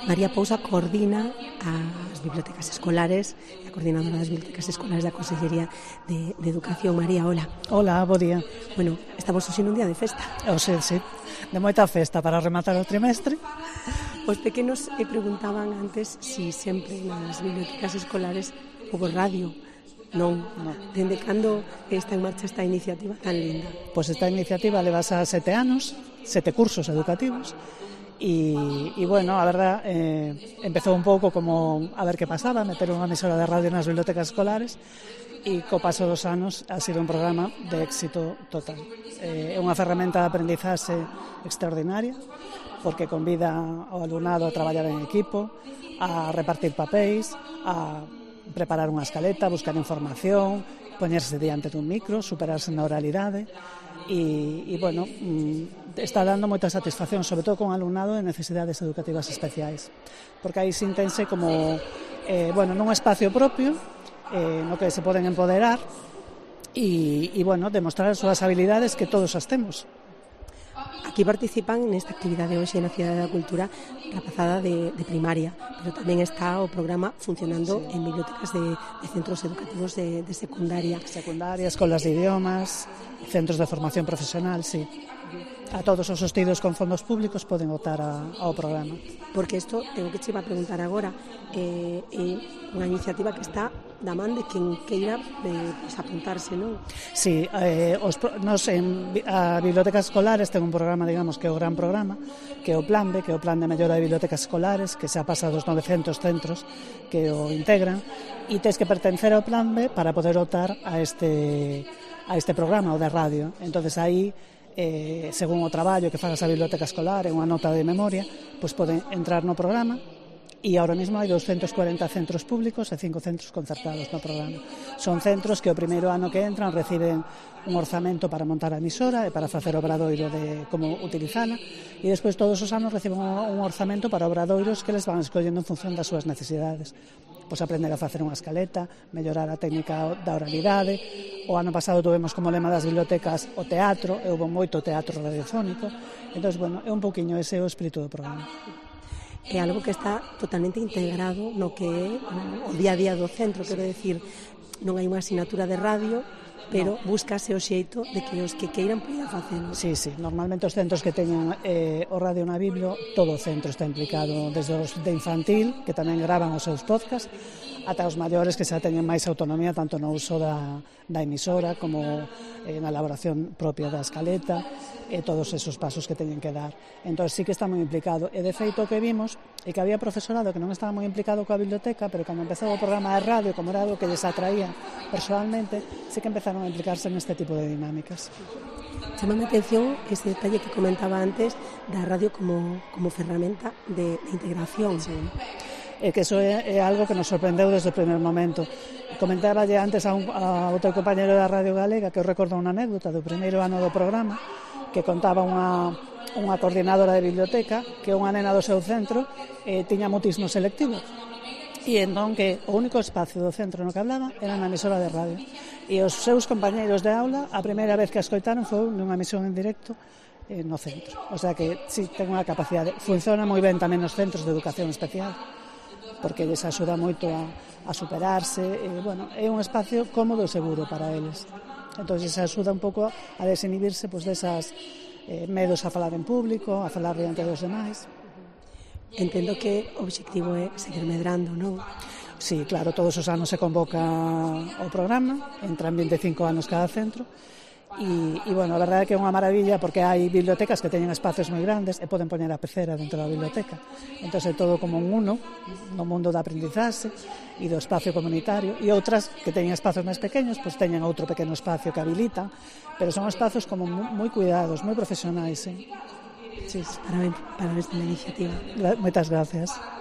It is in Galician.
María Pousa coordina as bibliotecas escolares, é a coordinadora das bibliotecas escolares da Consellería de Educación. María, hola. Hola, bo día. Bueno, estamos hoxe nun día de festa. Sí, de moita festa para rematar o trimestre. Os pequenos preguntaban antes si sempre nas bibliotecas escolares houve radio. Non. Dende cando está en marcha esta iniciativa tan linda? Pois esta iniciativa levase 7 anos, 7 cursos educativos. E bueno, a verdad, empezou un pouco como a ver que pasaba, meter unha emisora de radio nas bibliotecas escolares, e co paso dos anos ha sido un programa de éxito total. É unha ferramenta de aprendizaxe extraordinaria, porque convida ao alumnado a traballar en equipo, a repartir papéis, a preparar unha escaleta, buscar información, poñerse diante dun micro, superarse na oralidade, e bueno, está dando moita satisfacción, sobre todo con alumnado de necesidades educativas especiais, porque aí sintense como nun espacio propio no que se poden empoderar e bueno, demostrar as súas habilidades, que todos as temos. Aquí participan nesta actividade hoxe na Cidade da Cultura rapazada de primaria, pero tamén está o programa funcionando en bibliotecas de centros educativos de secundaria. Secundaria, escolas de idiomas, centros de formación profesional, sí. A todos os sostidos con fondos públicos poden optar ao programa. Porque isto, tengo que che iba a preguntar agora, é unha iniciativa que está da man de quen queira apuntarse, non? Sí, nos en a bibliotecas escolares ten un programa, digamos, que é o gran programa, que é o Plan B, que é o Plan de Mellora de Bibliotecas Escolares, que xa pasa dos 900 centros que o integran, e tens que pertencer ao Plan B para poder optar a este programa, o de radio. Entonces aí, según o traballo que fagas a biblioteca escolar en unha nota de memoria, pois poden entrar no programa, e ahora mesmo hai 240 centros públicos e 5 centros concertados no programa. Son centros que o primeiro ano que entran reciben un orzamento para montar a emisora e para facer obradoiro de como utilizala, e despois todos os anos reciben un orzamento para obradoiros que les van escollendo en función das súas necesidades. Pois aprender a facer unha escaleta, mellorar a técnica da oralidade. O ano pasado tuvemos como lema das bibliotecas o teatro, e houve moito teatro radiofónico. Entón, bueno, é un pouquiño ese o espírito do programa. É algo que está totalmente integrado no que é o día a día do centro, quero decir, non hai unha asignatura de radio, pero búscase o xeito de que os que queiran poder facelo. Sí, normalmente os centros que teñen o radio na Biblio, todo o centro está implicado, desde os de infantil, que tamén gravan os seus podcast, ata os maiores que xa teñen máis autonomía tanto no uso da emisora como na elaboración propia da escaleta e todos esos pasos que teñen que dar. Entón sí que está moi implicado, e de feito o que vimos é que había profesorado que non estaba moi implicado coa biblioteca, pero cando empezou o programa de radio, como era algo que les atraía personalmente, sí que empezaron a implicarse neste tipo de dinámicas. Chamame a atención ese detalle que comentaba antes da radio como ferramenta de integración. Sí. E que eso é algo que nos sorprendeu desde o primer momento. Comentáballe antes a outro compañero da Radio Galega que eu recordo unha anécdota do primeiro ano do programa, que contaba unha coordinadora de biblioteca que unha nena do seu centro tiña mutismo selectivo, e entón que o único espacio do centro no que hablaba era na emisora de radio, e os seus compañeiros de aula a primeira vez que a escoitaron foi nunha emisión en directo no centro. O sea que sí, ten unha capacidade. Funciona moi ben tamén nos centros de educación especial, porque les axuda moito a superarse, bueno, é un espacio cómodo e seguro para eles. Entón, se axuda un pouco a desinhibirse pois, desas medos a falar en público, a falar diante dos demais. Entendo que o obxectivo é seguir medrando, non? Sí, claro, todos os anos se convoca o programa, entran 25 anos cada centro, e bueno, a verdade é que é unha maravilla porque hai bibliotecas que teñen espacios moi grandes e poden poñer a pecera dentro da biblioteca. Entón é todo como un uno no mundo da aprendizaxe e do espacio comunitario, e outras que teñen espacios máis pequenos, pois teñen outro pequeno espacio que habilitan, pero son espacios como moi cuidados, moi profesionais. Sí. Parabéns pela iniciativa. Moitas gracias.